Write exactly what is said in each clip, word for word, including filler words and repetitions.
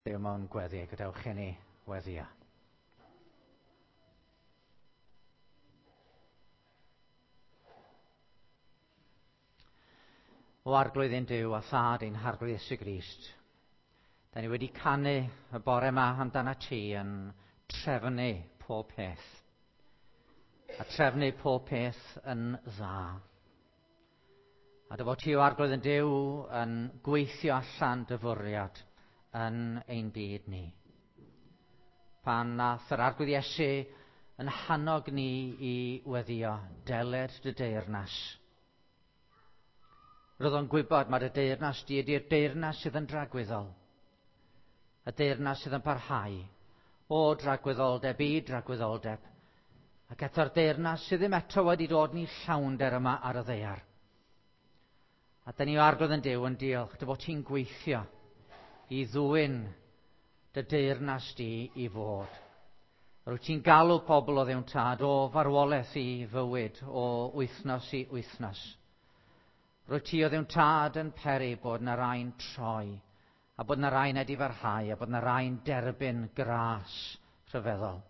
Duw mewn gweddi, gadewch i ni weddïo. O Arglwydd ein Duw a Thad ein Harglwydd Iesu Grist, da ni wedi canu y bore yma amdana ti yn trefnu pob peth. A trefnu pob peth yn dda. A dy fod ti o Arglwydd yn Duw yn gweithio allan dy fwriad yn ein byd ni. Pan nath yr Arglwydd Iesu yn hannog ni i weddïo, deled dy deyrnas. Roedd o'n gwybod mae dy deyrnas di ydy'r deyrnas sydd yn dragwyddol. Y deyrnas sydd yn parhau o dragwyddoldeb i dragwyddoldeb. Ac eto'r deyrnas sydd ddim eto wedi dod ni llawnder yma ar y ddaear. A da ni o Arglwydd yn Duw yn diolch dy fod ti'n gweithio i ddwyn dy deyrnas di i fod. Rwyt ti'n galw pobl o Dduw'n Tad o farwolaeth i fywyd, o wythnos i wythnos. Rwyt ti o Dduw'n Tad yn peri bod na rai'n troi, a bod na rai'n edifarhau, a bod na rai'n derbyn gras rhyfeddol.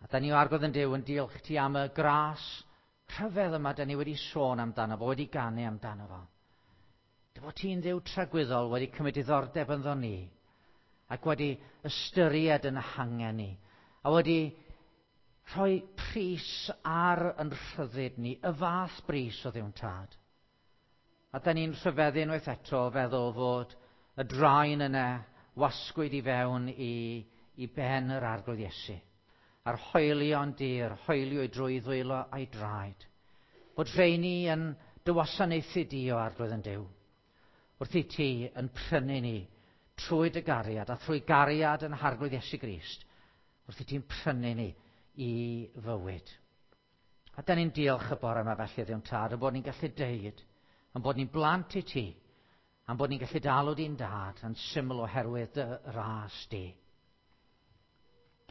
A da ni o Arglwydd yn Duw yn diolch ti am y gras rhyfedd yma da ni wedi sôn amdano fo, wedi ganu amdano fo. Dy fod ti'n Dduw tragwyddol wedi cymryd diddordeb ynddo ni, ac wedi ystyried yn hangen ni, a wedi rhoi pris ar yn rhyddid ni, y fath bris o Dduw'n Tad. A da ni'n rhyfeddu unwaith eto o feddwl fod y draen yna wasgwyd i fewn i, i ben yr Arglwydd Iesu, a'r hoelion dir, hoeliwyd drwy ddwylo a'i draed. Bod rheini yn dy wasanaethu di o Arglwydd yn Duw, wrth i ti yn prynu ni trwy dy gariad a thrwy gariad yn Harglwydd Iesu Grist, wrth i ti'n prynu ni i fywyd. A da ni'n diolch y bore yma felly Dduw'n Tad, yn bod ni'n gallu deud, yn bod ni'n blant i ti, a'n bod ni'n gallu dalw di'n dad yn syml oherwydd dy ras di.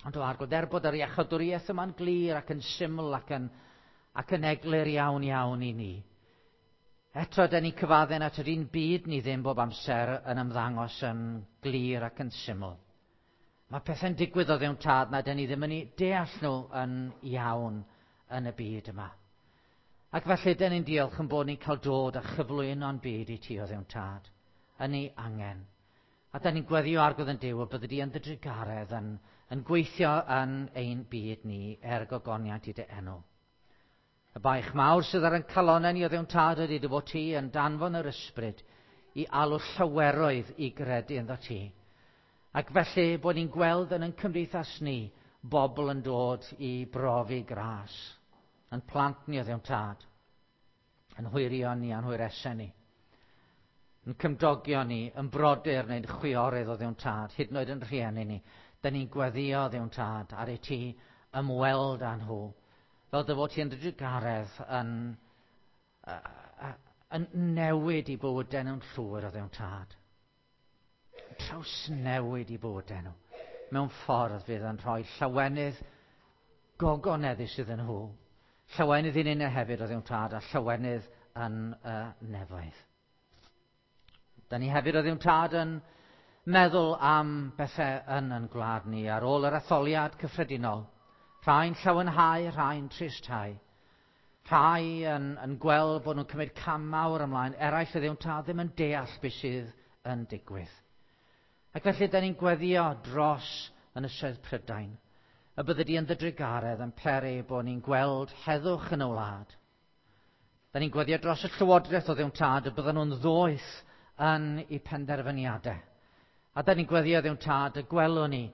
Ond o Arglwydd, er bod yr iachawdwriaeth yma'n glir ac yn syml ac yn, ac yn eglur iawn iawn i ni, eto da ni'n cyfadden at yr un byd ni ddim bob amser yn ymddangos yn glir ac yn syml. Mae pethau'n digwydd o Dduw'n Tad na da ni ddim yn ei deall nhw yn iawn yn y byd yma. Ac felly da ni'n diolch yn bod ni'n cael dod a chyflwyno'n byd i ti o Dduw'n Tad, yn ei angen. A da ni'n gweddio Arglwydd yn Duw y byddi di yn dy drugaredd yn, yn gweithio yn ein byd ni er gogoniant i dy enw. Y baich mawr sydd ar ein calonnau ni o Dduw'n Tad ydy dy fod ti yn danfon yr ysbryd i alw llaweroedd i gredu ynddo ti. Ac felly bod ni'n gweld yn ein cymdeithas ni bobl yn dod i brofi gras, yn plant ni o Dduw'n Tad, yn hwyrion ni a'n hwyresau ni, yn cymdogion ni, yn brodyr neu'n chwiorydd o Dduw'n Tad, hyd yn oed yn rhieni ni. Da ni'n gweddio Dduw'n Tad ar i ti ymweld â nhw, fel dy fod ti yn dy drugaredd yn, uh, yn newid i bywydau nhw'n llwyr o Dduw'n Tad. Trawsnewid i bywydau nhw mewn ffordd fydd yn rhoi llawenydd gogoneddus iddyn nhw. Llawenydd i ninnau hefyd o Dduw'n Tad a llawenydd yn y nefoedd. Da ni hefyd o Dduw'n Tad yn meddwl am bethau yn yn gwlad ni ar ôl yr etholiad cyffredinol. Rhai'n llawenhau, rhai'n tristhau. Rhai yn, yn gweld bod nhw'n cymryd cam mawr ymlaen, eraill o Dduw'n Tad ddim yn deall beth sydd yn digwydd. Ac felly da ni'n gweddio dros Ynysoedd Prydain, y byddi di yn dy drugaredd yn peri bod ni'n gweld heddwch yn y wlad. Da ni'n gweddio dros y llywodraeth o Dduw'n Tad y bydden nhw'n ddoeth yn eu penderfyniadau. A da ni'n gweddio Dduw'n Tad y gwelwn ni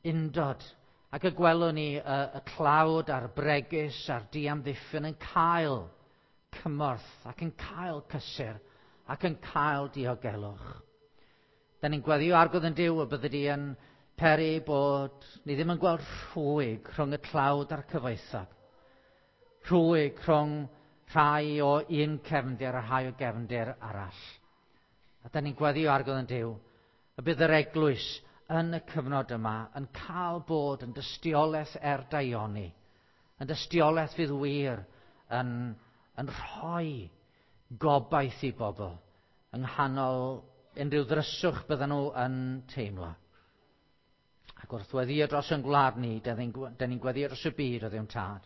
undod ac y gwelwn ni y, y tlawd a'r bregus a'r diamddiffyn yn cael cymorth ac yn cael cysur ac yn cael diogelwch. Da ni'n gweddio Arglwydd yn Duw y byddi di yn peri bod ni ddim yn gweld rhwyg rhwng y tlawd a'r cyfoethog. Rhwyg rhwng rhai o un cefndir a rhai o gefndir arall. A da ni'n gweddio Arglwydd yn Duw y bydd yr eglwys yn y cyfnod yma yn cael bod yn dystiolaeth er daioni, yn dystiolaeth fydd wir yn, yn rhoi gobaith i bobl yng nghanol unrhyw ddryswch bydden nhw yn teimlo. Ac wrth weddio dros yn gwlad ni, da ni'n gweddio dros y byd o Dduw'n Tad.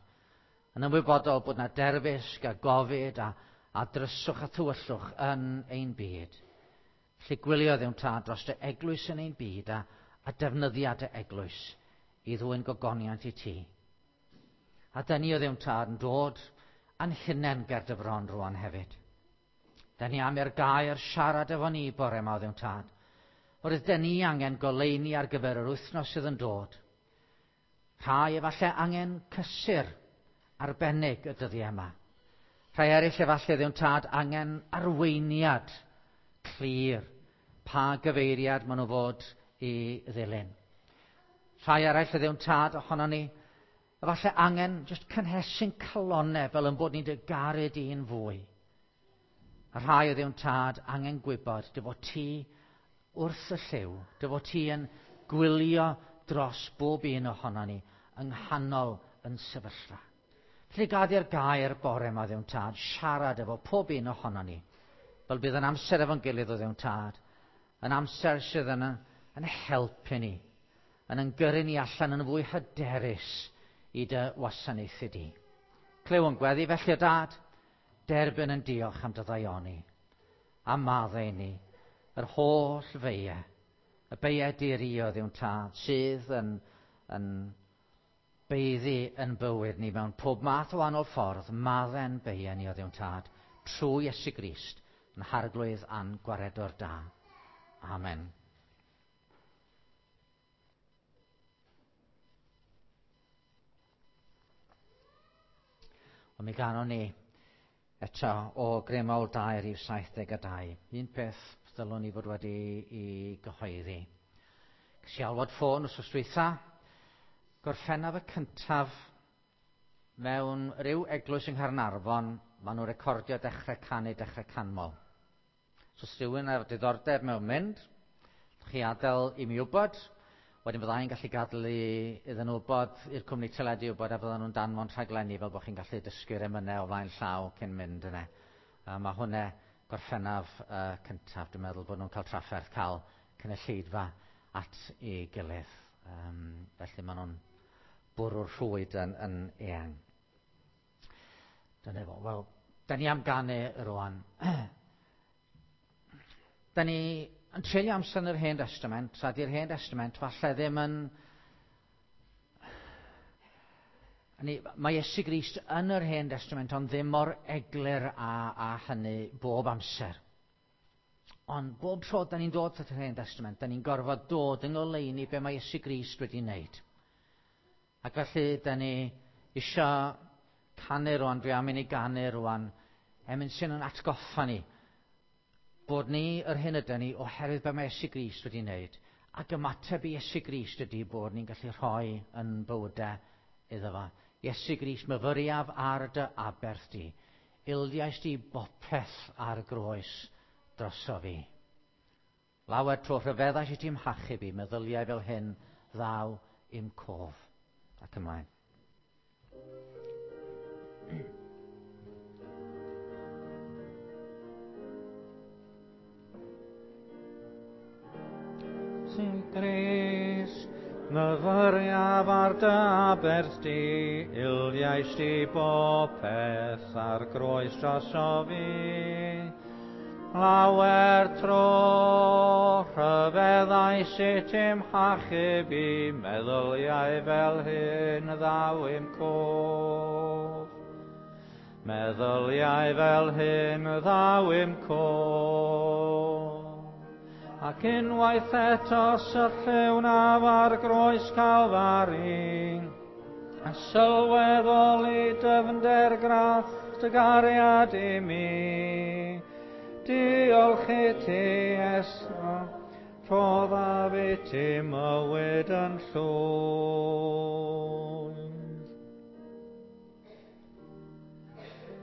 Yn ymwybodol bod na derfysg a gofid a, a dryswch a thywyllwch yn ein byd. Felly gwylio Dduw'n Tad dros dy eglwys yn ein byd a, a defnyddiad y eglwys i ddwyn gogoniant i ti. A da ni o Dduw'n Tad yn dod a'n hunain ger dy fron rwan hefyd. Da ni am i'r gair siarad efo ni bore yma o Dduw'n Tad. Oherwydd da ni angen goleuni ar gyfer yr wythnos sydd yn dod. Rhai efallai angen cysur arbennig y dyddiau yma. Rhai eraill efallai Dduw'n Tad angen arweiniad clir pa gyfeiriad maen nhw fod i ddilyn. Rhai eraill Dduw'n Tad ohono ni efallai angen jyst cynhesu'n calonnau fel yn bod ni'n dy garu di'n fwy. A rhai o Dduw'n Tad angen gwybod dy fod ti wrth y llyw, dy fod ti yn gwylio dros bob un ohono ni yng nghanol yn sefyllfa. Felly gad i'r gair bore yma Dduw'n Tad siarad efo pob un ohono ni, fel bydd yn amser efo'n gilydd o Dduw'n Tad, yn amser sydd yn, yn helpu ni, yn yn gyrru ni allan yn fwy hyderus i dy wasanaethu di. Clyw yn gweddi felly o Dad, derbyn yn diolch am dy ddaioni, a maddau ni, yr holl feiau, y beiau diri o Dduw'n Tad, sydd yn, yn beiddi yn bywyd ni mewn pob math o wahanol ffordd, maddau'n beiau ni o Dduw'n Tad, trwy Iesu Grist, yn Harglwydd a'n Gwaredwr da. Amen. Ond mi ganon ni eto o Gremol dau rhif saith deg a dau. Un peth ddylwn ni fod wedi i gyhoeddi. Ces i alwad ffôn wrth dwytha, Gorffennaf y cyntaf mewn rhyw eglwys yng Nghaernarfon, maen nhw'n recordio dechrau canu, dechrau canmol. So os rhywun ar diddordeb mewn mynd, chi adael i mi wybod, wedyn fyddai'n gallu gadael i, iddyn nhw wybod, i'r cwmni teledu wybod, a fyddan nhw'n danfon rhaglenni fel bod chi'n gallu dysgu'r emynau o flaen llaw cyn mynd yna. A mae hwnna Gorffennaf uh, cyntaf, dwi'n meddwl bod nhw'n cael trafferth cael cynulleidfa at ei gilydd. Um, felly maen nhw'n bwrw'r rhwyd yn, yn eang. Dyna fo. Wel, da ni am ganu rwan. Da ni yn treulio amser yn yr Hen Testament, a di'r Hen Testament falle ddim yn... Ni, mae Iesu Grist yn yr Hen Testament, ond ddim mor eglur a, a hynny bob amser. Ond bob tro da ni'n dod at yr Hen Testament, da ni'n gorfod dod yng ngoleuni be mae Iesu Grist wedi wneud. Ac felly, da ni isio canu rwan, dwi am i ni ganu rwan, emyn sy'n yn atgoffa ni bod ni yr hyn ydyn ni oherwydd be mae Iesu Grist wedi wneud. Ac ymateb i Iesu Grist ydy bod ni'n gallu rhoi yn bywydau iddo fo. Iesu Grist, myfyriaf ar dy aberth di. Ildiais di bopeth ar groes droso fi. Lawer tro rhyfeddais i ti'n hachub i, meddyliau fel hyn ddaw i'm cof. Ac ymlaen. Iesu Grist, myfyriaf ar dy aberth di, ildiais di bopeth ar groes droso fi. Lawer tro rhyfeddais i ti'n hachub i, meddyliau fel hyn ddaw i'm cof. Meddyliau fel hyn ddaw i'm cof. Ac unwaith eto sylliwnaf ar groes Calfari, a sylweddoli dyfnder gras dy gariad i mi. Diolch i ti, Esra, rhoddaf i ti mywyd yn llwyr.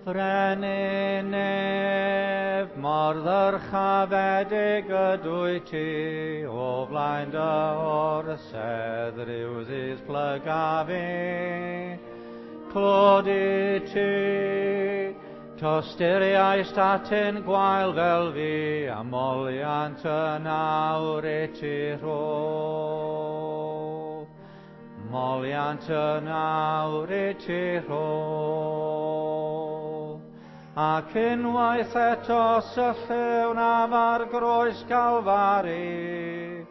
Frenin nef, mor ddyrchafedig ydwyt ti, o flaen dy orsedd rhyw ddydd plygaf i. Clod i ti, tosturiaist atyn gwael fel fi, a moliant yn awr i ti rhoi. Moliant yn awr i ti rhodd. Ac unwaith eto sylliwn am ar groes Calfari,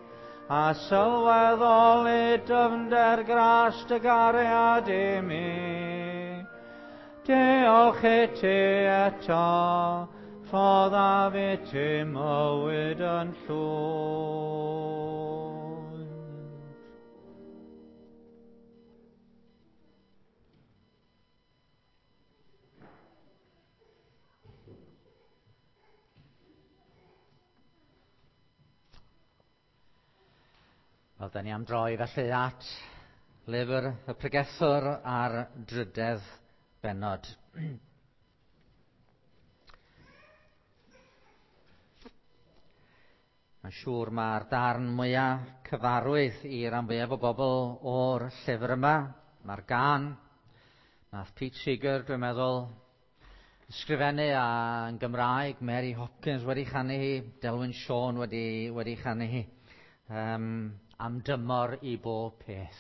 a sylweddoli dyfnder gras dy gariad i mi. Diolch i ti eto, rhoddaf i ti mywyd yn llwyr. Wel, da ni am droi felly at lyfr y pregethwr a'r drydedd bennod. Mae'n siŵr mae'r darn mwyaf cyfarwydd i ran fwyaf o bobl o'r llyfr yma. Mae'r gan, nath Pete Seeger, dwi'n meddwl, ysgrifennu a yn Gymraeg, Mary Hopkins wedi chanu hi, Delwyn Siôn wedi, wedi chanu hi. Um, am dymor i bob peth.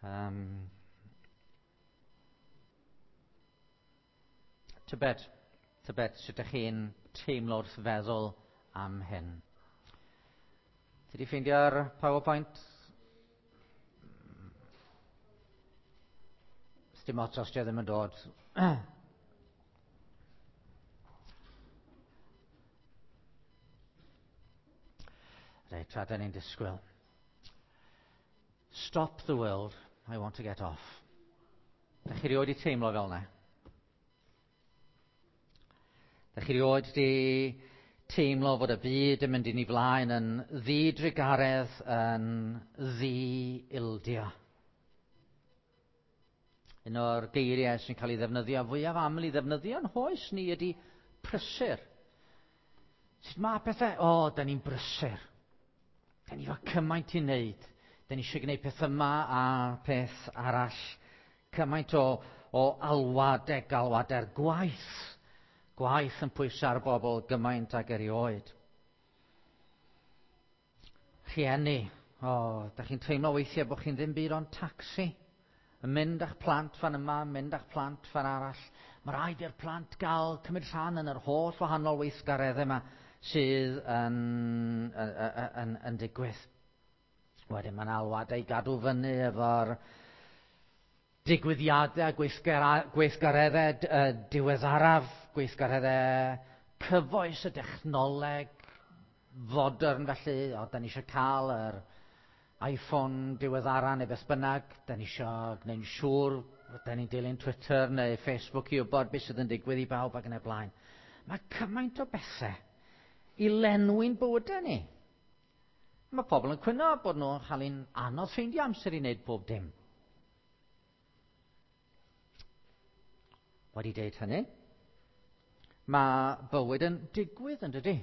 Um, tybed, tybed sut ydych chi'n teimlo wrth feddwl am hyn. Ti di ffeindio'r PowerPoint? Dim ots os di o ddim yn dod. Reit, tra da ni'n disgwyl. Stop the world, I want to get off. Da chi rioed di teimlo fel yna? Da chi rioed di teimlo fod y byd yn mynd i ni flaen yn ddidrugaredd, yn ddi-ildio? Un o'r geiriau sy'n cael ei ddefnyddio fwyaf aml i ddefnyddio yn hoes ni ydy prysur. Sut mae pethau? O, da ni'n brysur. Da ni efo cymaint i wneud. Da ni eisiau gwneud peth yma a peth arall. Cymaint o, o alwadau, galwadau'r gwaith. Gwaith yn pwyso ar bobl gymaint ag erioed. Rhieni, o, da chi'n teimlo weithiau bod chi'n ddim byd ond tacsi. Yn mynd â'ch plant fan yma, mynd â'ch plant fan arall. Mae rhaid i'r plant gael cymryd rhan yn yr holl wahanol weithgareddau yma sydd yn, yn, yn, yn digwydd. Wedyn mae'n alwadau i gadw fyny efo'r digwyddiadau, gweithgareddau diweddaraf, gweithgareddau cyfoes y dechnoleg fodern felly. O, da ni eisiau cael yr iPhone diweddara neu beth bynnag. Da ni eisiau gwneud yn siŵr, da ni'n dilyn Twitter neu Facebook i wybod beth sydd yn digwydd i bawb ac yn y blaen. Mae cymaint o bethau i lenwi'n bywydau ni. Mae pobl yn cwyno bod nhw'n cael ein anodd ffeindio amser i wneud pob dim. Wedi deud hynny, mae bywyd yn digwydd yn dydy.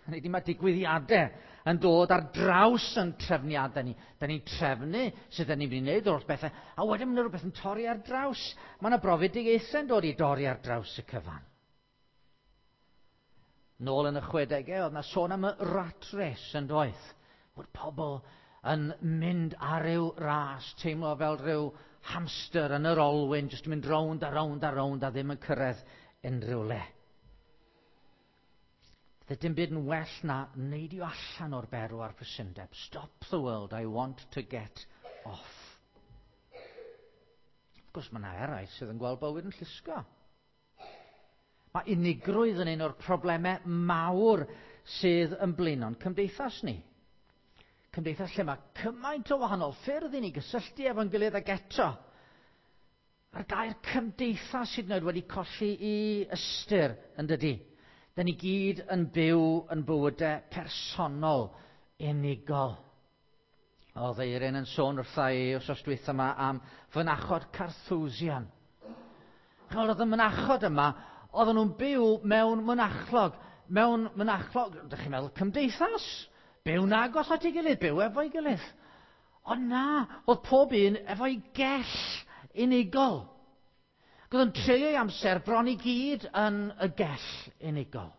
Hynny ydi, mae digwyddiadau yn dod ar draws yn trefniadau ni. Da ni'n trefnu sydd ni'n mynd i wneud o'r bethau, a wedyn mae rhywbeth yn torri ar draws. Mae yna brofedigaethau yn dod i dorri ar draws y cyfan. Nôl yn y chwedegau, oedd yna sôn am y rat race yn doedd. Bod pobl yn mynd ar ryw ras, teimlo fel rhyw hamster yn yr olwyn, jyst yn mynd rownd a rownd a rownd a ddim yn cyrraedd unrhyw le. Fydde dim byd yn well na neidio allan o'r berw a'r prysundeb. Stop the world, I want to get off. Wrth gwrs, mae yna eraill sydd yn gweld bywyd yn llusgo. Mae unigrwydd yn un o'r problemau mawr sydd yn blino'n cymdeithas ni. Cymdeithas lle mae cymaint o wahanol ffyrdd i ni gysylltu efo'n gilydd ag eto. A'r gair cymdeithas hyd yn oed wedi colli i ystyr yn dydy. Da ni gyd yn byw yn bywydau personol, unigol. Oedd Eirin yn sôn wrtha i wrthos dwytha yma am fynachod Carthusian. Chymod, oedd y mynachod yma, oedden nhw'n byw mewn mynachlog. Mewn mynachlog, ydych chi'n meddwl, cymdeithas? Byw'n agos at ei gilydd, byw efo'i gilydd. Ond na, oedd pob un efo'i gell unigol. Oedd yn treulio'i amser bron i gyd yn y gell unigol.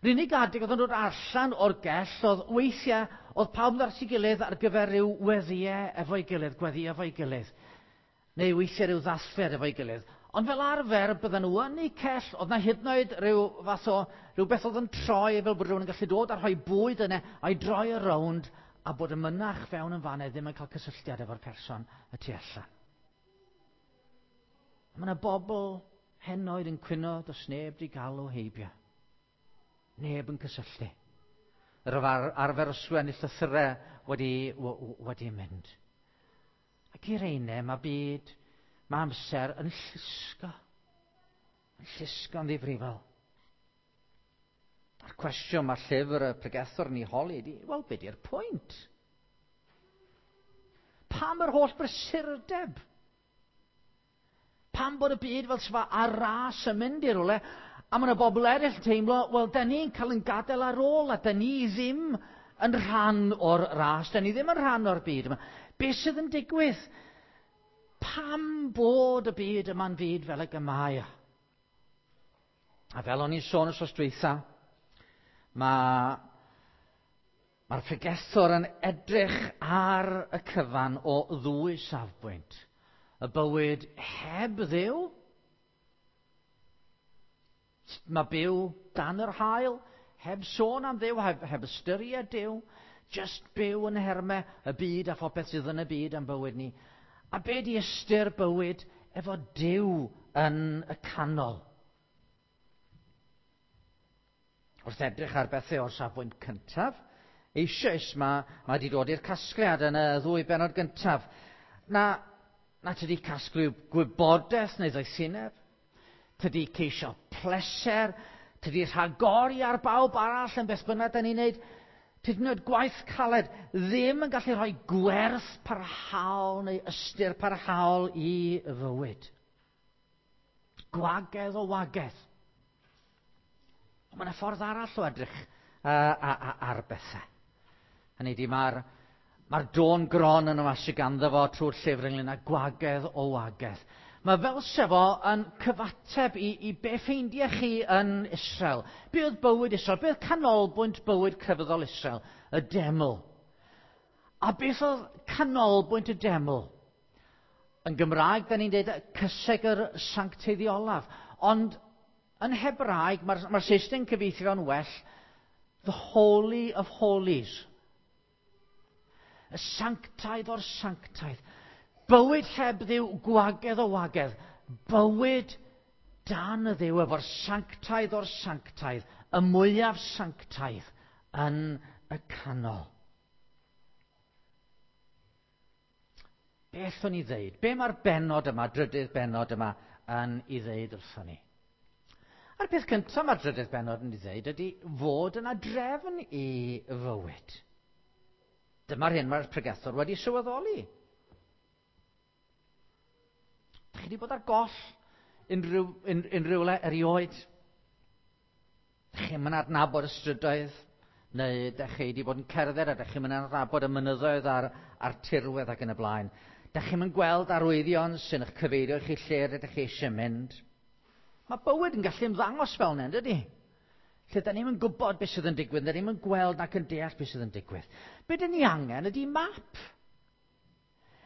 Yr unig adeg oedd yn dod allan o'r gell oedd weithiau Oedd pawb yn dod at ei gilydd ar gyfer rhyw weddïau efo'i gilydd, gweddi efo'i gilydd, neu weithiau rhyw ddathliad efo'i gilydd. Ond fel arfer, bydden nhw yn eu cell, oedd na hyd yn oed rhyw fath o, rhywbeth oedd yn troi fel bod rhywun yn gallu dod a rhoi bwyd yna, a'i droi y rownd, a bod y mynach fewn yn fanna ddim yn cael cysylltiad efo'r person y tu allan. Mae yna bobl henoed yn cwyno, does neb di galw heibio. Neb yn cysylltu. Yr arfer o sgwennu llythyrau wedi, wedi mynd. Ac i'r eine, mae byd, mae amser yn llusgo. Yn llusgo'n ddifrifol. A'r cwestiwn mae'r llyfr y pregethwr yn ei holi ydy, wel, be di'r pwynt? Pam yr holl brysurdeb? Pam bod y byd fel sef ar ras yn mynd i rywle, a mae yna bobl eraill yn teimlo, wel, da ni'n cael yn gadael ar ôl, a da ni ddim yn rhan o'r ras, da ni ddim yn rhan o'r byd yma. Be sydd yn digwydd? Pam bod y byd yma'n fyd fel y mae? A fel o'n i'n sôn wythnos dwytha, mae, mae'r pregethwr yn edrych ar y cyfan o ddwy safbwynt. Y bywyd heb Dduw, mae byw dan yr haul, heb sôn am Dduw, heb, heb ystyried Duw, just byw yn nhermau y byd a phopeth sydd yn y byd am bywyd ni. A be di ystyr bywyd efo Duw yn y canol? Wrth edrych ar bethau o'r safbwynt cyntaf, eisoes mae, mae wedi dod i'r casgliad yn y ddwy bennod gyntaf. Na, na tydi casglu gwybodaeth neu ddoethineb, tydi ceisio pleser, tydi rhagori ar bawb arall yn beth bynnag da ni'n neud, tydi wneud gwaith caled ddim yn gallu rhoi gwerth parhaol neu ystyr parhaol i fywyd. Gwagedd o wagedd. Ond mae yna ffordd arall o edrych uh, ar bethau. Hynny ydi, mae'r mae'r dôn gron yn yma sydd ganddo fo trwy'r llyfr ynglyn â gwagedd o wagedd. Mae fel se fo yn cyfateb i, i be ffeindiau chi yn Israel. Be oedd bywyd Israel? Be oedd canolbwynt bywyd crefyddol Israel? Y deml. A beth oedd canolbwynt y deml? Yn Gymraeg, da ni'n dweud cysegr sancteiddiolaf. Ond yn Hebraeg, mae'r mae Saesneg yn cyfieithu fo'n well, the Holy of Holies. Y sanctaidd o'r sanctaidd. Bywyd heb Dduw, gwagedd o wagedd. Bywyd dan y Dduw efo'r sanctaidd o'r sanctaidd, y mwyaf sanctaidd yn y canol. Beth o'n i ddeud? Be mae'r bennod yma, drydydd bennod yma, yn ei ddeud wrthon ni? A'r peth cyntaf mae'r drydydd bennod yn ei ddeud ydy fod yna drefn i fywyd. Dyma'r hyn mae'r pregethwr wedi sylweddoli. Dych chi wedi bod ar goll unrhyw, un, unrhyw le erioed? Dych chi'n mynd adnabod y strydoedd, neu dych chi wedi bod yn cerdded a dych chi'n mynd adnabod y mynyddoedd a'r, a'r tirwedd ac yn y blaen. Dych chi'n mynd gweld arwyddion sy'n eich cyfeirio chi lle rydych chi eisiau mynd. Mae bywyd yn gallu ymddangos fel yna, dydy? Lle da ni'm yn gwybod beth sydd yn digwydd, da ni'm yn gweld nac yn deall beth sydd yn digwydd. Be dyn ni angen ydy map.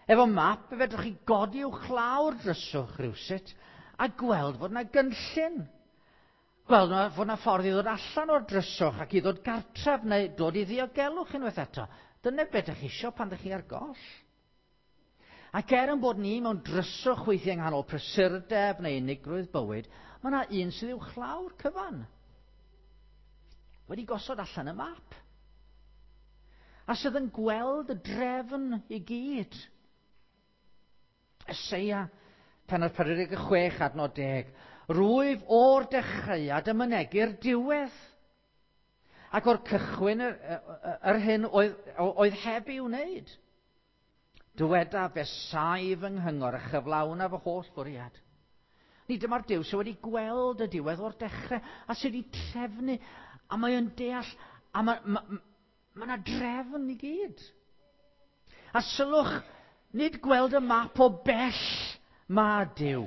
Efo map, fe fedrwch chi godi uwchlaw'r dryswch rhywsut a gweld fod yna gynllun. Gweld fod yna ffordd i ddod allan o'r dryswch ac i ddod gartref neu dod i ddiogelwch unwaith eto. Dyna beth ydych chi isio pan ydych chi ar goll. Ac er yn bod ni mewn dryswch weithiau yng nghanol prysurdeb neu unigrwydd bywyd, mae yna un sydd uwchlaw'r cyfan. Wedi gosod allan y map. A sydd yn gweld y drefn i gyd. Eseia, pennod pedwar deg chwech, adnod deg. Rwyf o'r dechreuad yn mynegi'r diwedd. Ac o'r cychwyn yr, yr hyn oedd, oedd heb i'w wneud. Dyweda fe saif yng nghyngor a chyflawna fy holl fwriad. Ni dyma'r Duw sydd wedi gweld y diwedd o'r dechrau a sydd wedi trefnu a mae o'n deall a mae ma, ma yna drefn i gyd. A sylwch, nid gweld y map o bell mae Duw.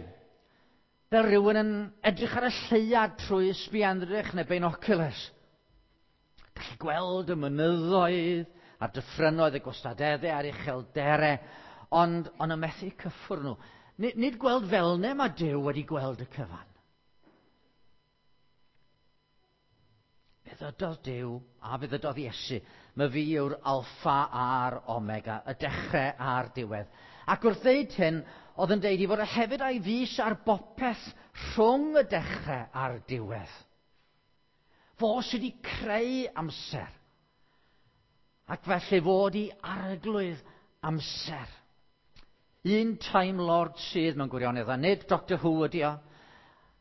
Fel rhywun yn edrych ar y lleuad trwy sbienddrych neu binoculars. Gallu gweld y mynyddoedd a'r dyffrynoedd, y gwastadeddau a'r uchelderau, ond, ond yn methu cyffwrdd nhw. Nid, nid gweld fel 'na mae Duw wedi gweld y cyfan. Fe ddydodd Duw a fe ddydodd Iesu, mae fi yw'r alffa a'r omega, y dechrau a'r diwedd. Ac wrth ddeud hyn, oedd yn deud i fod hefyd a'i fys ar bopeth rhwng y dechrau a'r diwedd. Fo sydd wedi creu amser. Ac felly fod i arglwydd amser. Un Time Lord sydd mewn gwirionedd, a nid Doctor Who ydi o,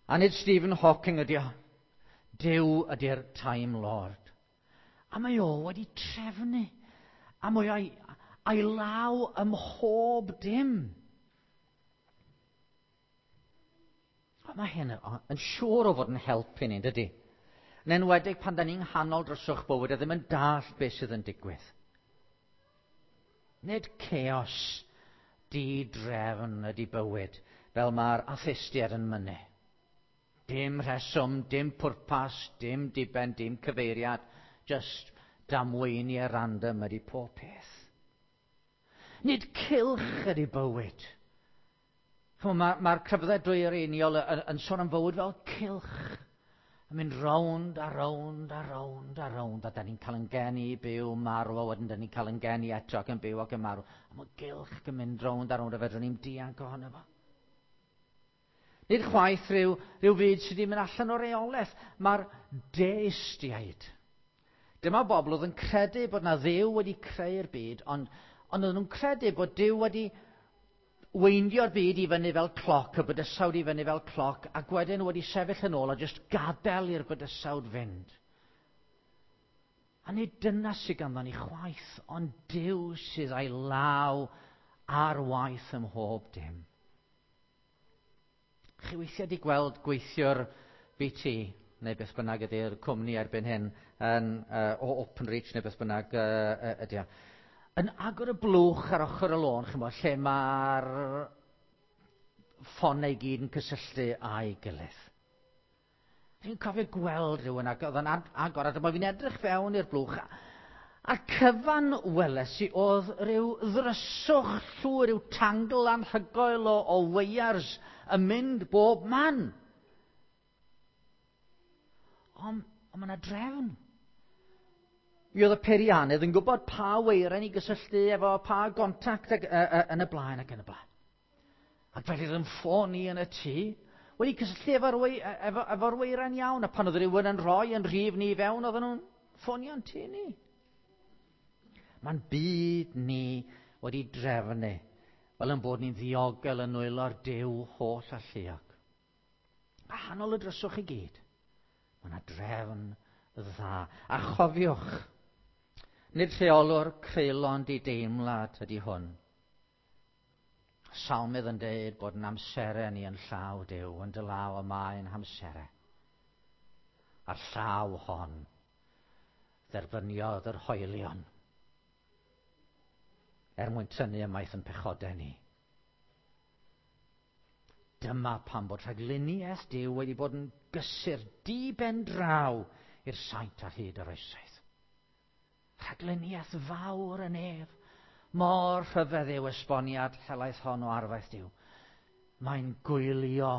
a nid Stephen Hawking ydi o. Duw ydy'r Time Lord. A mae o wedi trefnu. A mae o'i, a'i law ym mhob dim. A mae hyn yn siŵr o fod yn helpu ni, dydy? Yn enwedig pan da ni'n nghanol dryswch bywyd a ddim yn dallt beth sydd yn digwydd. Nid chaos di-drefn ydy bywyd, fel mae'r atheistiaid yn mynnu. Dim rheswm, dim pwrpas, dim diben, dim cyfeiriad, just damweiniau random ydy pob peth. Nid cylch ydy bywyd. Mae'r ma, ma crefyddau dwyreiniol yn, yn sôn am fywyd fel cylch. Yn mynd rownd a rownd a rownd a rownd, a da ni'n cael yn geni, byw, marw, a wedyn da ni'n cael yn geni eto ac yn byw ac yn marw. A mae gylch yn mynd rownd a rownd a fedrwn ni'n dianc ohono fo. Nid chwaith rhyw, rhyw fyd sydd wedi mynd allan o reolaeth. Mae'r deistiaid. Dyma bobl oedd yn credu bod na Dduw wedi creu'r byd, ond, ond oedden nhw'n credu bod Duw wedi weindio'r byd i fyny fel cloc, y bydysawd i fyny fel cloc, ac wedyn wedi sefyll yn ôl a jyst gadael i'r bydysawd fynd. A nid dyna sydd ganddo ni chwaith, ond Duw sydd â'i law ar waith ym mhob dim. Chi weithiau wedi gweld gweithiwr B T, neu beth bynnag ydy'r cwmni erbyn hyn, yn, uh, o Openreach neu beth bynnag uh, ydy o, yn agor y blwch ar ochr y lôn, chymod, lle mae'r ffonau i gyd yn cysylltu â'i gilydd. Fi'n cofio gweld rhywun ac oedd yn agor, a dyma fi'n edrych fewn i'r blwch, a'r cyfan weles i oedd rhyw ddryswch llwyr, rhyw tangle anhygoel o, o weiars yn mynd bob man. Ond on mae yna drefn. Mi oedd y peiriannydd yn gwybod pa weiren i gysylltu efo pa gontact ag, uh, uh, yn y blaen ac yn y blaen. Ac felly oedd yn ffôn i yn y tŷ, wedi cysylltu efo'r wei, efo, efo weiren iawn, a pan oedd rhywun yn rhoi yn rhif ni fewn, oedden nhw'n ffonio'n tŷ ni. Mae'n byd ni wedi drefnu, fel yn bod ni'n ddiogel yn nwylo'r Duw holl alluog. A hanol y dryswch i gyd, mae yna drefn dda. A chofiwch, nid rheolwr creulon dideimlad ydy hwn. Salmydd yn deud bod yn amserau ni yn llaw Duw, yn dy law y mae'n hamserau. A'r llaw hon dderbyniodd yr hoelion er mwyn tynnu ymaith yn pechodau ni. Dyma pam bod rhagluniaeth Duw wedi bod yn gysur di-ben draw i'r saint ar hyd yr oesoedd. Rhagluniaeth fawr yn ef, mor rhyfedd yw esboniad helaeth hon o arfaeth Duw. Mae'n gwylio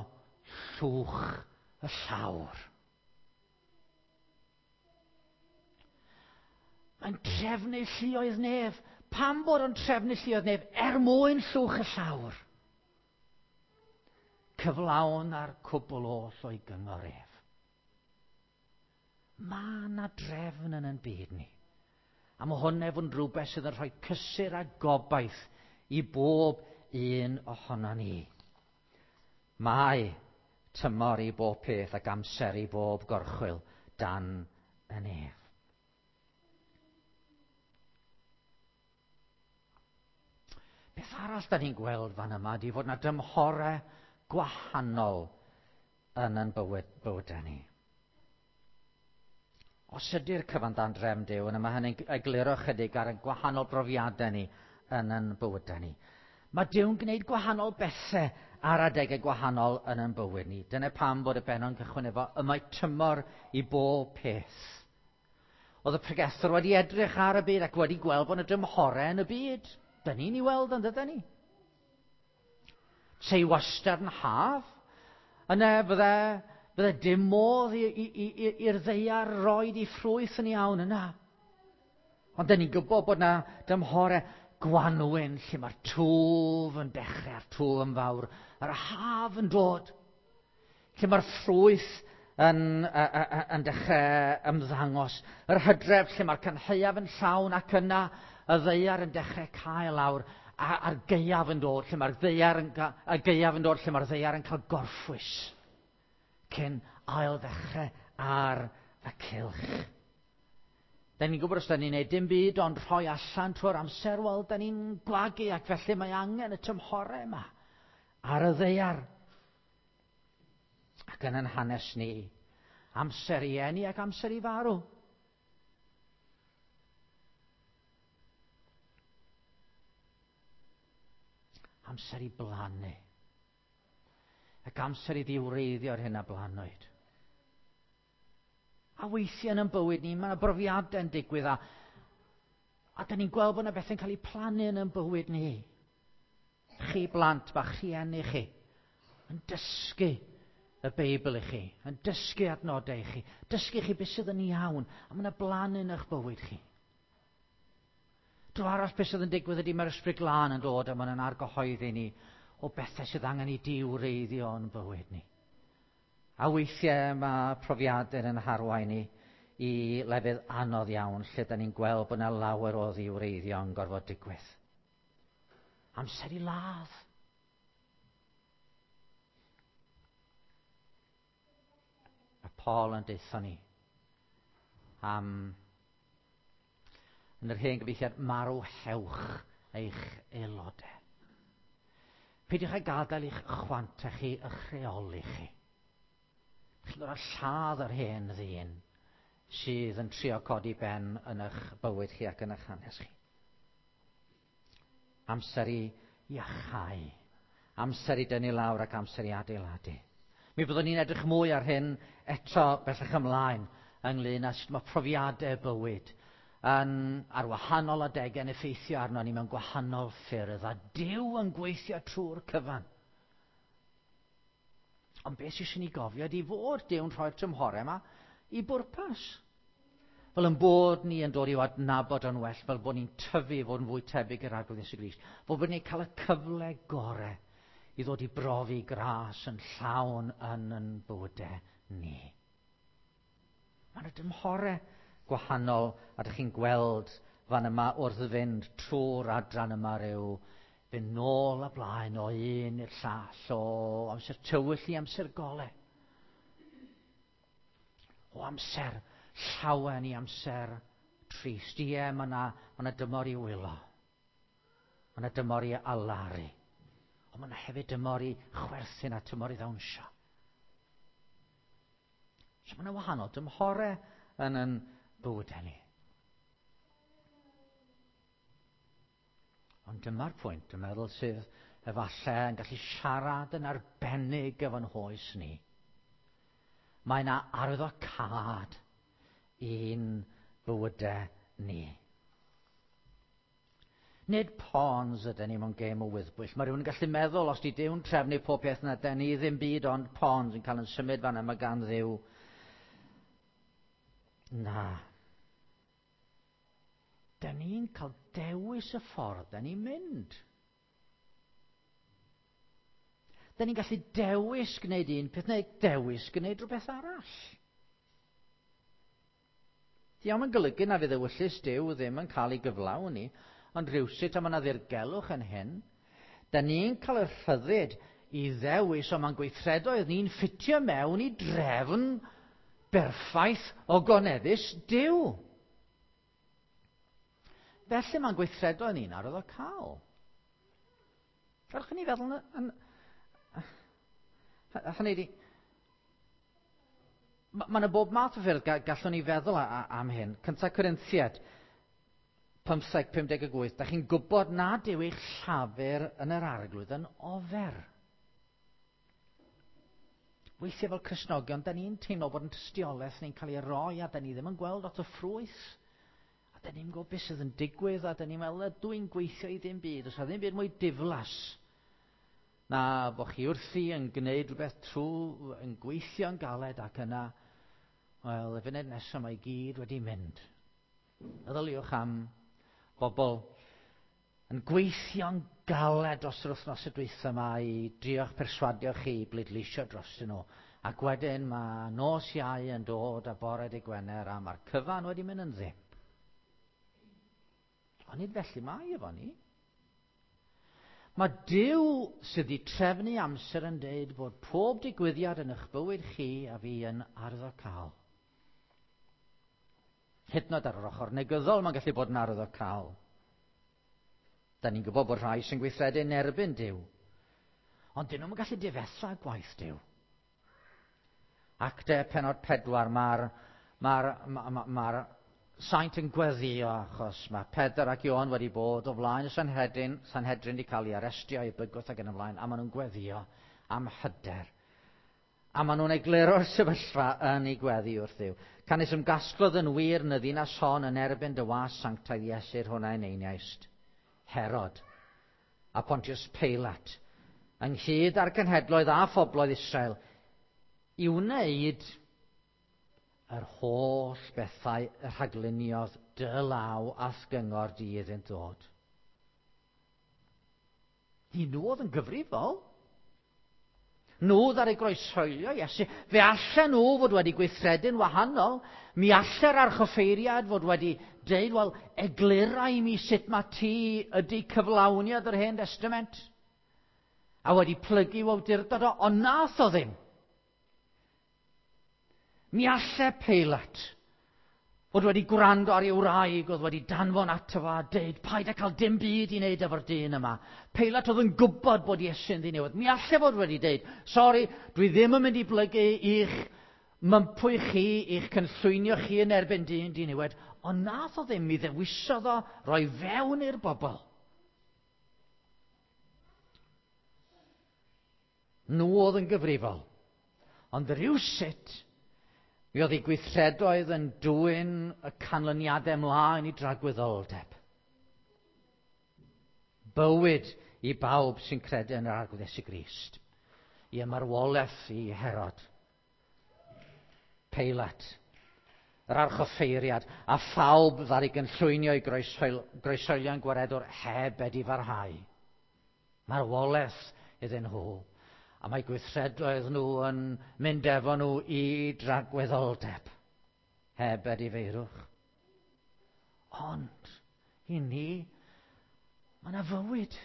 llwch y llawr. Mae'n trefnu lluoedd nef. Pam bod o'n trefnu lluoedd nef? Er mwyn llwch y llawr. Cyflawn ar cwbl oll o'i gyngor ef. Mae yna drefn yn ein byd ni. A mae hwn efo yn rhywbeth sydd yn rhoi cysur a gobaith i bob un ohono ni. Mae tymor i bob peth ac amser i bob gorchwyl dan y nef. Beth arall da ni'n gweld fan yma ydy fod yna dymhorau gwahanol yn ein bywyd, bywydau ni. Os ydy'r cyfan dan drefn Duw, yna mae hynny'n egluro chydig ar y gwahanol brofiadau ni yn ein bywydau ni. Mae Duw'n gwneud gwahanol bethau ar adegau gwahanol yn ein bywyd ni. Dyna pam bod y bennod yn cychwyn efo, y mae tymor i bob peth. Oedd y pregethwr wedi edrych ar y byd ac wedi gweld bod yna dymhorau yn y byd. Dyn ni'n ei weld yn dydyn ni. Sei wastad yn haf, yna fydde, fydde dim modd i'r ddaear roed i ffrwyth yn iawn yna. Ond dyn ni'n gwybod bod yna dymhorau gwanwyn lle mae'r twf yn dechrau, a'r twf yn fawr, a'r haf yn dod, lle mae'r ffrwyth yn, yn dechrau ymddangos, yr hydref lle mae'r cynhaeaf yn llawn ac yna y ddaear yn dechrau cael lawr, a, a'r gaeaf yn dod, lle mae'r ddaear yn, y gaeaf yn dod, lle mae'r ddaear yn cael gorffwys cyn ail ddechrau ar y cylch. Da ni'n gwybod os da ni'n neud dim byd ond rhoi allan trwy'r amser, wel, da ni'n gwagu ac felly mae angen y tymhorau yma ar y ddaear. Ac yn yn hanes ni, amser i eni ac amser i farw. Amser i blannu. Ac amser i ddiwreiddio'r hyn a blannwyd. A weithiau yn ein bywyd ni, mae yna brofiadau yn digwydd a, a da ni'n gweld bod yna bethau'n cael eu plannu yn ein bywyd ni. Chi blant bach, rhieni chi, yn dysgu y Beibl i chi, yn dysgu adnodau i chi, dysgu chi beth sydd yn iawn, a mae yna blannu yn eich bywyd chi. Dro arall beth sydd yn digwydd ydy mae'r Ysbryd Glân yn dod a mae'n argyhoeddi ni o bethau sydd angen i diwreiddio yn bywyd ni. A weithiau mae profiadau yn harwain ni i lefydd anodd iawn lle da ni'n gweld bod yna lawer o ddiwreiddio yn gorfod digwydd. Amser i ladd. A Paul yn deutha ni am yn yr hen gyfieithiad marwhewch eich aelodau. Peidiwch â gadael i'ch chwantau chi, eich rheoli chi. Chi'n gorfod lladd yr hen ddyn sydd yn trio codi ben yn eich bywyd chi ac yn eich hanes chi. Amser i iachau, amser i dynnu lawr ac amser i adeiladu. Mi fyddwn ni'n edrych mwy ar hyn eto bellach ymlaen ynglyn â sut mae profiadau bywyd yn, ar wahanol adegau yn effeithio arno ni mewn gwahanol ffyrdd a Duw yn gweithio trwy'r cyfan. Ond beth sydd eisiau ni gofio ydy fod Duw'n rhoi'r tymhorau yma i bwrpas. Fel yn bod ni yn dod i'w adnabod yn well, fel bod ni'n tyfu fod yn fwy tebyg i'r Arglwydd Iesu Grist, fod bod ni'n cael y cyfle gorau i ddod i brofi gras yn llawn yn yn bywydau ni. Mae yna dymhorau gwahanol, a dych chi'n gweld fan yma wrth fynd trwy'r adran yma rhyw fynd nôl a blaen o un i'r llall, o amser tywyll i amser golau. O amser llawen i amser trist. Ie, mae yna, ma yna dymor i wylo. Mae yna dymor i alaru. Ond mae yna hefyd dymor i chwerthin a tymor i ddawnsio. So mae yna wahanol dymhorau yn yn bywydau ni. Ond dyma'r pwynt, dwi'n meddwl, sydd efallai yn gallu siarad yn arbennig efo'n hoes ni. Mae yna arwyddocâd i'n bywydau ni. Nid pawns ydyn ni mewn gêm o wyddbwyll. Mae rhywun yn gallu meddwl, os di Duw'n trefnu pob peth na dyn ni ddim byd ond pawns yn cael yn symud fan yma gan Dduw. Na. Dyn ni'n cael dewis y ffordd dyn ni'n mynd. Dyn ni'n gallu dewis gwneud un peth neu dewis gwneud rhywbeth arall. Diolch yn golygu na fydd ewyllys Duw ddim yn cael ei gyflawni, ond rhywsut a mae yna ddirgelwch yn hyn. Dyn ni'n cael y rhyddid i ddewis, ond mae'n gweithredoedd ni'n ffitio mewn i drefn berffaith o goneddus Duw. Felly mae'n gweithredoedd ni'n arwyddocaol. Gadwch i ni feddwl yn... yn hynny ydi, mae yna bob math o ffyrdd gallwn ni feddwl am hyn. Cynta Corinthiaid pymtheg pum deg wyth, da chi'n gwybod nad yw eich llafur yn yr Arglwydd yn ofer. Weithiau fel Cristnogion, da ni'n teimlo bod yn tystiolaeth ni'n cael ei roi a da ni ddim yn gweld lot o ffrwyth. A da ni'n gwybod beth sydd yn digwydd a da ni'n meddwl, ydw i'n gweithio i ddim byd. Oes 'na ddim byd mwy diflas na bod chi wrthi yn gwneud rhywbeth trwy, yn gweithio'n galed ac yna, wel, y funud nesaf mae i gyd wedi mynd. Meddyliwch am bobl yn gweithio'n galed dros yr wythnos y dwytha yma i drio'ch perswadio chi i bleidleisio dros nhw. Ac wedyn mae nos Iau yn dod a bore dy Gwener a mae'r cyfan wedi mynd yn ddim. Ond nid felly mae efo ni. Mae Duw sydd wedi trefnu amser yn deud bod pob digwyddiad yn eich bywyd chi a fi yn arwyddocaol. Hyd yn oed ar yr ochr negyddol mae'n gallu bod yn arwyddocaol. Da ni'n gwybod bod rhai sy'n gweithredu yn erbyn Duw. Ond dyn nhw'n gallu difetha gwaith Duw. Actau pennod pedwar, mae'r ma ma, ma, ma saint yn gweddio achos mae Pedr ac Ioan wedi bod o flaen y Sanhedrin, Sanhedrin wedi cael ei arestio, ei bygwth ac yn y blaen, a maen nhw'n gweddio am hyder. A maen nhw'n egluro'r sefyllfa yn ei gweddi wrth Dduw. Canys ymgasglodd yn wir yn y ddinas hon yn erbyn dy was sanctaidd Iesu'r hwnna yn einiaist. Herod a Pontius Pilate, ynghyd â'r cenhedloedd a phobloedd Israel, i wneud yr holl bethau y rhagluniodd dy law a'th gyngor di iddynt ddod. Ni nhw oedd yn gyfrifol. Nhw ddaru groeshoelio Iesu. Fe allan nhw fod wedi gweithredu'n wahanol. Mi alle'r archoffeiriad fod wedi deud, wel, eglura i mi sut mae ti ydy cyflawniad yr Hen Testament. A wedi plygu i'w awdurdod o, ond nath o ddim. Mi alle Peilat fod wedi gwrando ar ei wraig oedd wedi danfon ato fo a deud, paid â cael dim byd i wneud efo'r dyn yma. Peilat oedd yn gwybod bod Iesu'n ddiniwed. Mi alle fod wedi deud, sori, dwi ddim yn mynd i blygu i'ch mympwy chi, i'ch cynllwynio chi yn erbyn dyn diniwed, ond nath o ddim, mi ddewisodd o roi fewn i'r bobl. Nhw oedd yn gyfrifol. Ond rhywsut, mi oedd ei gweithredoedd yn dwyn y canlyniadau ymlaen i dragwyddoldeb. Bywyd i bawb sy'n credu yn yr Arglwydd Iesu Grist. I ymarwolaeth i Herod, Peilat, yr archoffeiriad, a phawb ddaru gynllwynio i groeshoelio'n gwaredwr heb edifarhau. Marwolaeth iddyn nhw. A mae gweithredoedd nhw yn mynd efo nhw i dragwyddoldeb, heb edifeirwch. Ond, i ni, mae yna fywyd.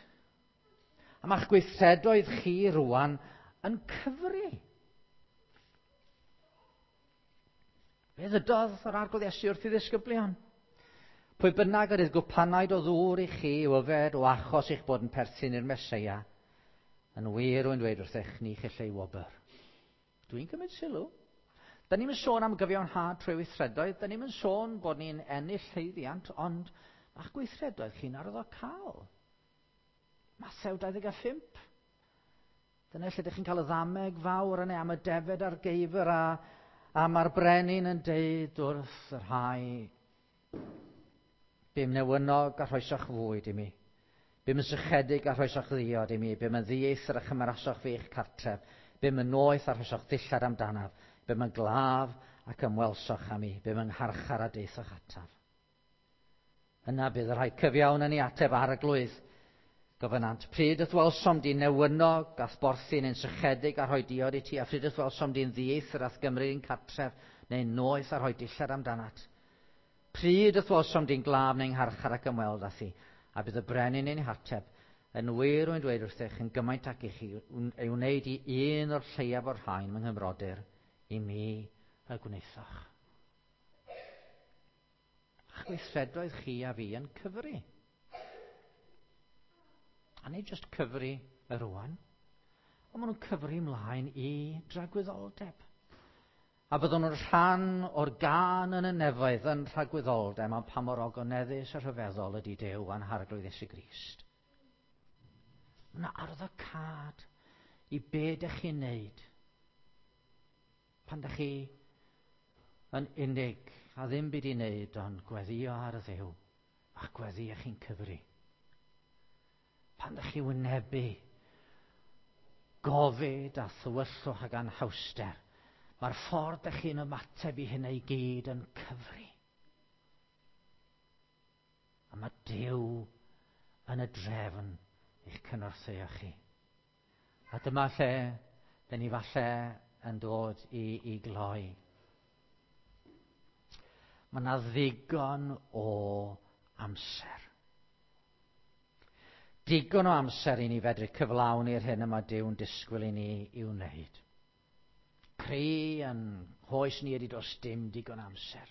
A mae'ch gweithredoedd chi rwan yn cyfri. Fe ddydodd yr Arglwydd Iesu wrth ei ddisgyblion. Pwy bynnag yr gwpanaid o ddŵr i chi i'w yfed o achos eich bod yn perthyn i'r Meseia, yn wir rwy'n dweud wrthych, ni chell ei wobr. Dwi'n cymryd sylw. Da ni'n sôn am gyfiawnhad trwy weithredoedd, da ni'n sôn bod ni'n ennill llwyddiant, ond ma'ch gweithredoedd chi'n arwyddocaol. Mathew dau ddeg a phump. Dyna lle ydych chi'n cael y ddameg fawr yna am y defed a'r geifr a, a mae'r brenin yn deud wrth y rhai, bum newynog a rhoesoch fwyd i mi. Bum yn sychedig a rhoesoch ddiod i mi, bum yn ddieithr a chymerasoch fi i'ch cartref, bum yn noeth a rhoesoch ddillad amdanaf, bum yn glaf ac ymwelsoch â mi, bum yn ngharchar a deithoch ataf. Yna bydd y rhai cyfiawn yn ei ateb Arglwydd. Gofynant, pryd yth welsom di'n newynog a'th borthi neu'n sychedig a rhoi diod i ti, a pryd yth welsom di'n ddieithr a'th gymryd i'n cartref, neu'n noeth a rhoi dillad amdanat. Pryd yth welsom di'n glaf neu'n ngharchar ac ymweld â thi, a bydd y brenin ein hateb, yn wir rwy'n dweud wrthych yn gymaint ac i chi ei wneud i un o'r lleiaf o'r rhain fy nghymrodyr, i mi y gwnaethoch. A'ch gweithredoedd chi a fi yn cyfri. A nid jyst cyfri y rwan, ond maen nhw'n cyfri ymlaen i dragwyddoldeb. A byddwn nhw'n rhan o'r gân yn y nefoedd yn rhagwyddoldeb am pa mor ogoneddus a rhyfeddol ydy Duw a'n Harglwydd Iesu Grist. Mae yna arwyddocâd i be dych chi'n neud. Pan da chi yn unig a ddim byd i wneud ond gweddio ar y Dduw, a gweddio chi'n cyfri. Pan da chi wynebu gofid a thywyllwch ac anhawster, mae'r ffordd da chi'n ymateb i hynna i gyd yn cyfri. A mae Duw yn y drefn i'ch cynorthwyo chi. A dyma lle dyn ni falle yn dod i, i gloi. Mae yna ddigon o amser. Digon o amser i ni fedru cyflawni'r hyn y mae Duw'n disgwyl i ni i'w wneud. Cri yn hoes ni ydy does dim digon amser.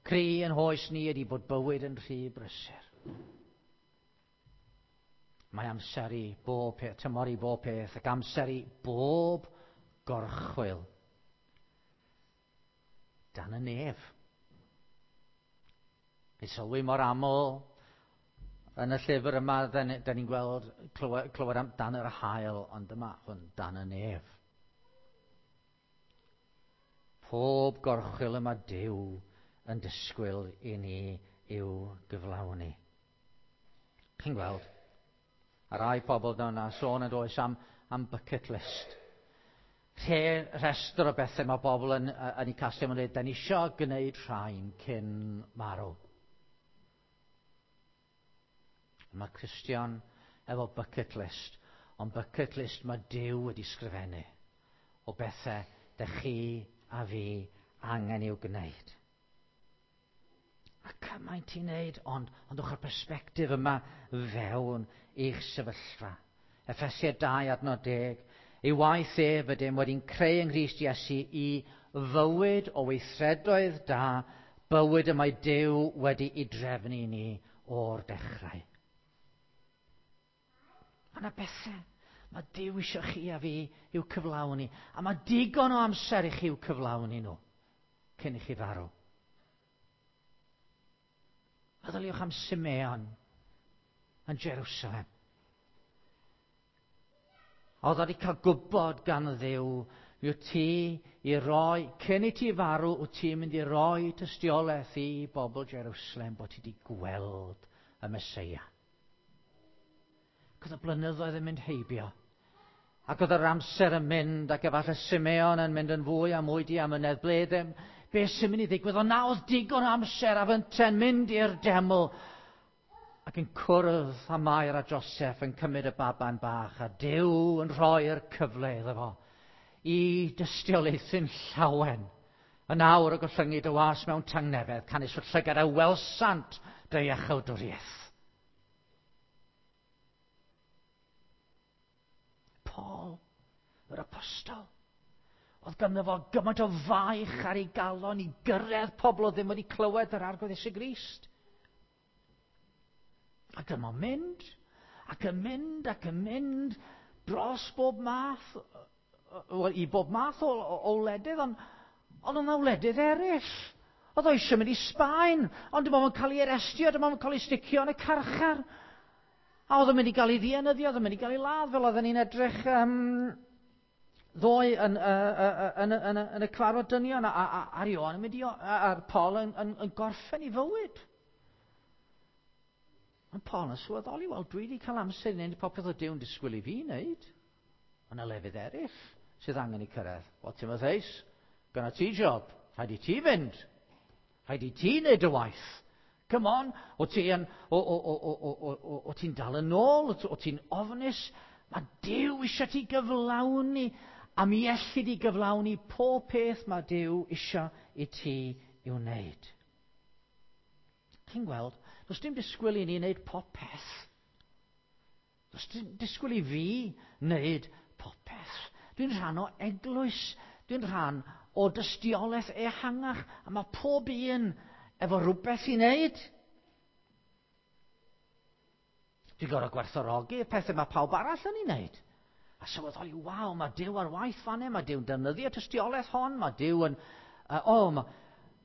Cri yn hoes ni ydy bod bywyd yn rhy brysur. Mae amser i bob peth, tymor i bob peth, ac amser i bob gorchwyl dan y nef. Ni sylwi mor aml yn y llyfr yma, da ni'n gweld clywed, clywed am dan yr haul, ond dyma hwn dan y nef. Pob gorchwyl yma Duw yn disgwyl i ni i'w gyflawni. Chi'n gweld? A rai pobl yna sôn yn does am, am bucket list. Rhe, rhestr o bethau mae bobl yn, yn ei casglu yn dweud, da ni isio gwneud rhain cyn marw. Mae Cristion efo bucket list, ond bucket list mae Duw wedi sgrifennu o bethau da chi a fi angen i'w gwneud. A cymaint i wneud, ond, ond o'ch perspectif yma fewn i'ch sefyllfa. Effesiau dau adnod deg, ei waith ef ydym wedi'n creu yng Nghrist Iesu i fywyd o weithredoedd da, bywyd y mae Duw wedi'i drefnu i ni o'r dechrau. Mae yna bethau mae Duw eisiau chi a fi i'w cyflawni, a mae digon o amser i chi i'w cyflawni nhw cyn i chi farw. Meddyliwch am Simeon yn Jerusalem. Oedd wedi cael gwybod gan Dduw, mi wyt ti i roi, cyn i ti farw, wyt ti'n mynd i roi tystiolaeth i bobl Jerusalem bod ti wedi gweld y Meseia. Ac oedd y blynyddoedd yn mynd heibio. Ac oedd yr amser yn mynd, ac efallai Simeon yn mynd yn fwy a mwy diamynedd. Ble ddim, beth sy'n mynd i ddigwydd? Ond na oedd digon o amser a fynte'n mynd i'r deml ac yn cwrdd â Mair a Joseph yn cymryd y baban bach a Duw yn rhoi'r cyfle iddo fo i dystiolaethu'n llawen. Yn awr y gollyngu dy was mewn tangnefedd, canys fy llygad a welsant dy iachawdwriaeth. Paul, yr apostol, oedd ganddo fo gymaint o faich ar ei galon i gyrraedd pobl oedd ddim wedi clywed yr Arglwydd Iesu Grist. Ac yma'n mynd, ac yn mynd, ac yn mynd dros bob math, wel, i bob math o, o, o wledydd, ond ond oedd yna wledydd eraill. Oedd o eisiau mynd i Sbaen, ond dim ond yn cael ei arestio, dim ond yn cael ei sticio yn y carchar. A oedd o'n mynd i gael ei ddienyddio, oedd o'n mynd i gael ei ladd, fel oedden ni'n edrych um, ddoe yn, uh, uh, yn, yn, yn, yn y cyfarfod dynion, a, a, a Ioan yn mynd i, a, a Paul yn, yn, yn gorffen ei fywyd. Ond Paul yn sylweddoli, wel, dwi wedi cael amser i wneud popeth o Duw'n disgwyl i fi wneud. Ond y lefydd eraill sydd angen i cyrraedd. Wel, Timotheus, gyda ti job, rhaid i ti fynd. Rhaid i ti wneud y waith. Come on, o ti yn, o, o, o, o, o, o, o ti'n dal yn ôl, o ti'n ofnus. Mae Duw eisiau ti gyflawni, a mi elli di gyflawni pob peth mae Duw eisiau i ti i'w wneud. Chi'n gweld, does dim disgwyl i ni wneud popeth. Does dim disgwyl i fi wneud popeth. Dwi'n rhan o eglwys, dwi'n rhan o dystiolaeth ehangach, a mae pob un efo rhywbeth i wneud. Dwi'n gorfod gwerthfawrogi y pethau mae pawb arall yn ei wneud. A sylweddoli, waw, mae Duw ar waith fan hyn, mae Duw'n defnyddio tystiolaeth hon, mae Duw yn... Uh, oh, mae,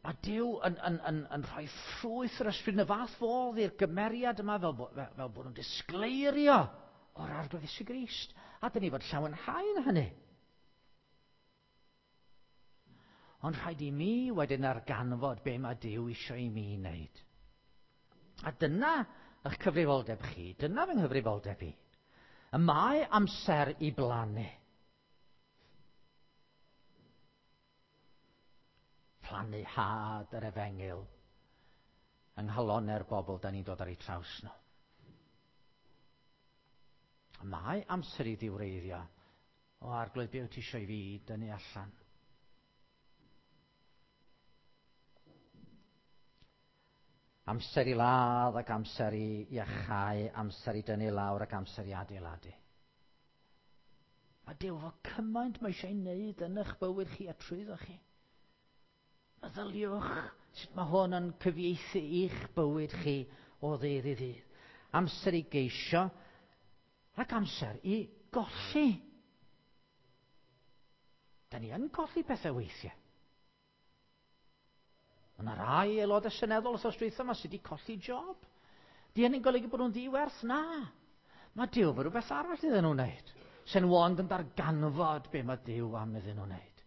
mae Duw yn, yn, yn, yn rhoi ffrwyth yr ysbryd yn y fath fodd i'r gymeriad yma fel, bo, fel, fel bod nhw'n disgleirio o'r Arglwydd Iesu Grist. A dyn ni fod llawenhau yn hynny. Ond rhaid i mi wedyn arganfod be mae Duw eisiau i mi wneud. A dyna eich cyfrifoldeb chi, dyna fy nghyfrifoldeb i. Y mae amser i blannu. Plannu had yr efengyl yng nghalonnau'r bobl da ni'n dod ar eu traws nhw. Y mae amser i ddiwreiddio. O Arglwydd, be wyt ti eisiau i fi dynnu allan? Amser i ladd ac amser i iachau, amser i dynnu lawr ac amser i adeiladu. Mae Duw efo cymaint mae eisiau ei wneud yn eich bywyd chi a trwyddo chi. Meddyliwch sut mae hwn yn cyfieithu i'ch bywyd chi o ddydd i ddydd. Amser i geisio ac amser i golli. Da ni yn colli pethau weithiau. Mae yna rai aelodau seneddol wrth dwytha yma sydd wedi colli job. Di hynny'n golygu bod nhw'n ddiwerth? Na. Mae Duw efo rhywbeth arall iddyn nhw'n wneud. Sy'n ond yn darganfod be mae Duw am iddyn nhw'n wneud.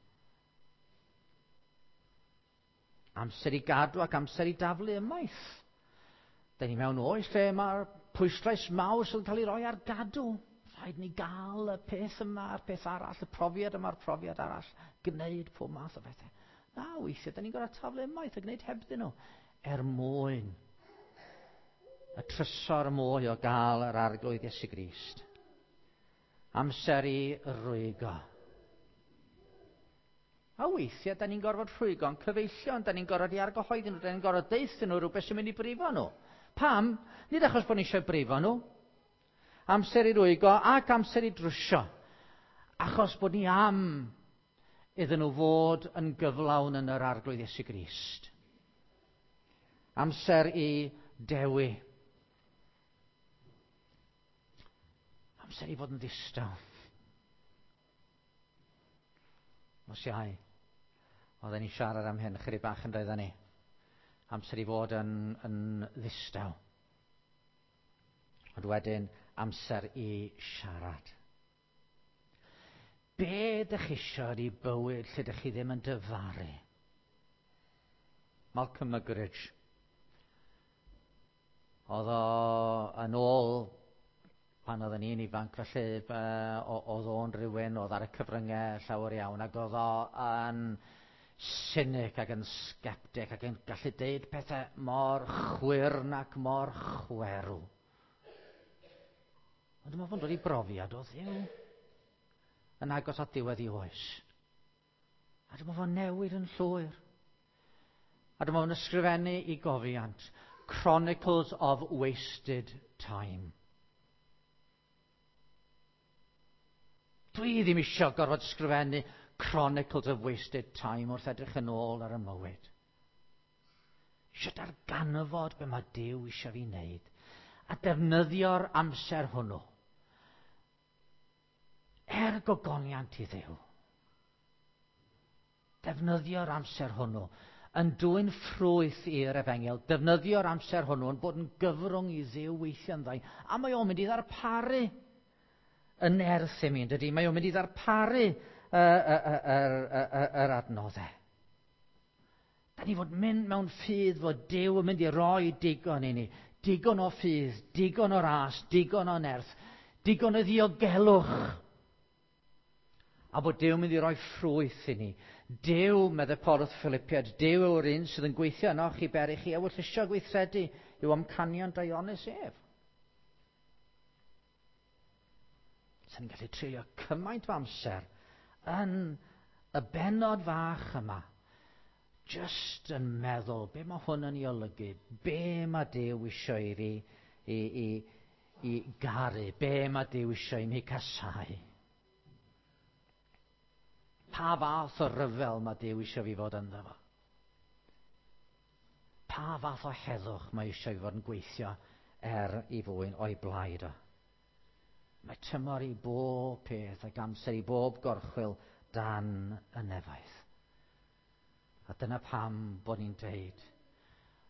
Amser i gadw ac amser i daflu ymaith. Da ni mewn oes lle mae'r pwyslais mawr sydd yn cael ei roi ar gadw. Rhaid ni gael y peth yma a'r peth arall, y profiad yma a'r profiad arall, gwneud pob math o bethau. Na, weithiau, da ni'n gorfod taflu ymaith a gwneud hebddyn nhw er mwyn y trysor mwy o gael yr Arglwydd Iesu Grist. Amser i rwygo. A weithiau, da ni'n gorfod rhwygo'n cyfeillion, da ni'n gorfod i argyhoeddi nhw, da ni'n gorfod deuthyn nhw rhywbeth sy'n mynd i brifo nhw. Pam? Nid achos bod ni eisiau brifo nhw. Amser i rwygo ac amser i drwsio. Achos bod ni am iddyn nhw fod yn gyflawn yn yr Arglwydd Iesu Grist. Amser i dewi. Amser i fod yn ddistaw. Nos Iau, oedden ni siarad am hyn chydig bach yn doedden ni. Amser i fod yn, yn ddistaw. Ond wedyn, amser i siarad. Be ydych chi eisiau i bywyd lle ydych chi ddim yn dyfaru? Malcolm Muggeridge. Oedd o yn ôl pan oedden ni'n ifanc, felly oedd o'n rhywun oedd ar y cyfryngau llawer iawn, ac oedd o yn cynic ac yn sceptic ac yn gallu deud pethau mor chwyrn ac mor chwerw. Ond dyma fo'n dod i brofiad o Dduw yn agos at diwedd i oes. A dyma fo'n newid yn llwyr. A dyma fo'n ysgrifennu i gofiant, Chronicles of Wasted Time. Dwi ddim eisiau gorfod ysgrifennu Chronicles of Wasted Time wrth edrych yn ôl ar y mywyd. Eisiau darganfod be mae Duw eisiau fi wneud a defnyddio'r amser hwnnw er gogoniant i Dduw. Defnyddio'r amser hwnnw yn dwyn ffrwyth i'r efengyl. Defnyddio'r amser hwnnw yn bod yn gyfrwng i Dduw weithio ynddo. A mae o'n mynd i ddarparu y nerth i mi, dydy? Mae o'n mynd i ddarparu yr adnoddau. Da ni fod mynd mewn ffydd fod Duw yn mynd i roi digon i ni. Digon o ffydd, digon o ras, digon o nerth, digon o ddiogelwch. A bod Duw yn mynd i roi ffrwyth i ni. Duw, meddai Paul wrth Philippiaid, Duw yw'r un sydd yn gweithio yno chi beri chi ewyllysio gweithredu i'w amcanion daionus ef. Sa'n ni'n gallu treulio cymaint o amser yn y bennod fach yma, just yn meddwl, be mae hwn yn ei olygu, be mae Duw eisiau i fi i, i, i garu, be mae Duw eisiau i mi casau. Pa fath o ryfel mae Duw eisiau fi fod ynddo fo? Pa fath o heddwch mae eisiau fi fod yn gweithio er i fwyn o'i blaid o? Mae tymor i bob peth ac amser i bob gorchwyl dan y nefoedd. A dyna pam bod ni'n deud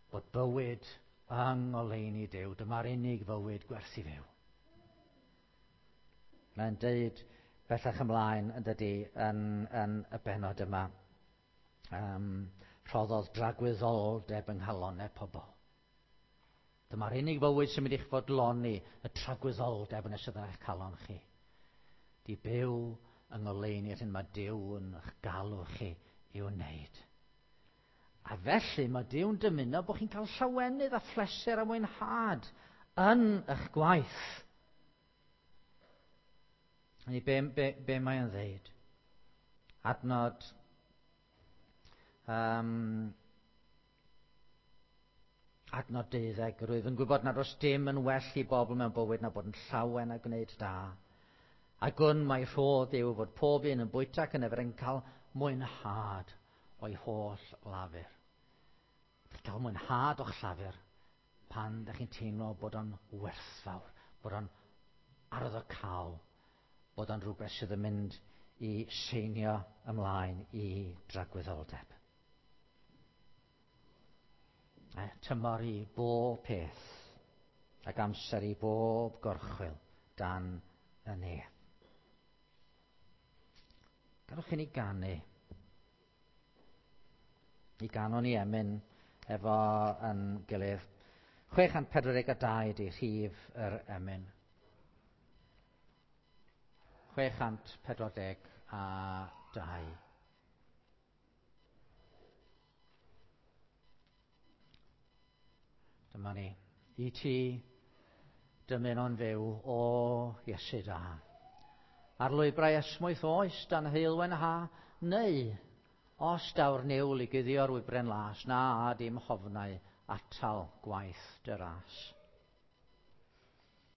bod bywyd yng ngoleuni Duw, dyma'r unig fywyd gwerth i fyw. Mae'n deud bellach ymlaen yn dydy yn, yn y bennod yma. Um, rhoddodd dragwyddoldeb yng nghalonnau pobl. Dyma'r unig fywyd sy'n mynd i'ch fodloni, y tragwyddoldeb yn sydd yn eich calon chi. Di byw yng ngoleuni'r hyn mae Duw yn eich galw chi i'w wneud. A felly mae Duw'n dymuno bod chi'n cael llawenydd a phleser a mwynhad yn eich gwaith. Hynny, be, be, be mae o'n ddeud? Adnod um, adnod deuddeg, rwyf yn gwybod nad oes dim yn well i bobl mewn bywyd na bod yn llawen a gwneud da. A gwn mai rhodd yw fod pob un yn bwyta ac yn yfed yn cael mwynhad o'i holl lafur. Chi'n cael mwynhad o'ch llafur pan ydych chi'n teimlo bod o'n werthfawr, bod o'n arwyddocaol, bod o'n rhywbeth sydd yn mynd i seinio ymlaen i dragwyddoldeb. E, tymor i bob peth ac amser i bob gorchwyl dan y nef. Gadewch i ni ganu. I ganon ni emyn efo yn gilydd. chwe chant pedwar deg dau ydy rhif yr emyn. chwe chant pedwar deg a dau. Dyma ni. I ti dymuno'n fyw, o Iesu da. Ar lwybrau esmwyth oes dan heulwen ha, neu os daw'r niwl i guddio'r wybren las, na a dim hofnau atal gwaith dy ras.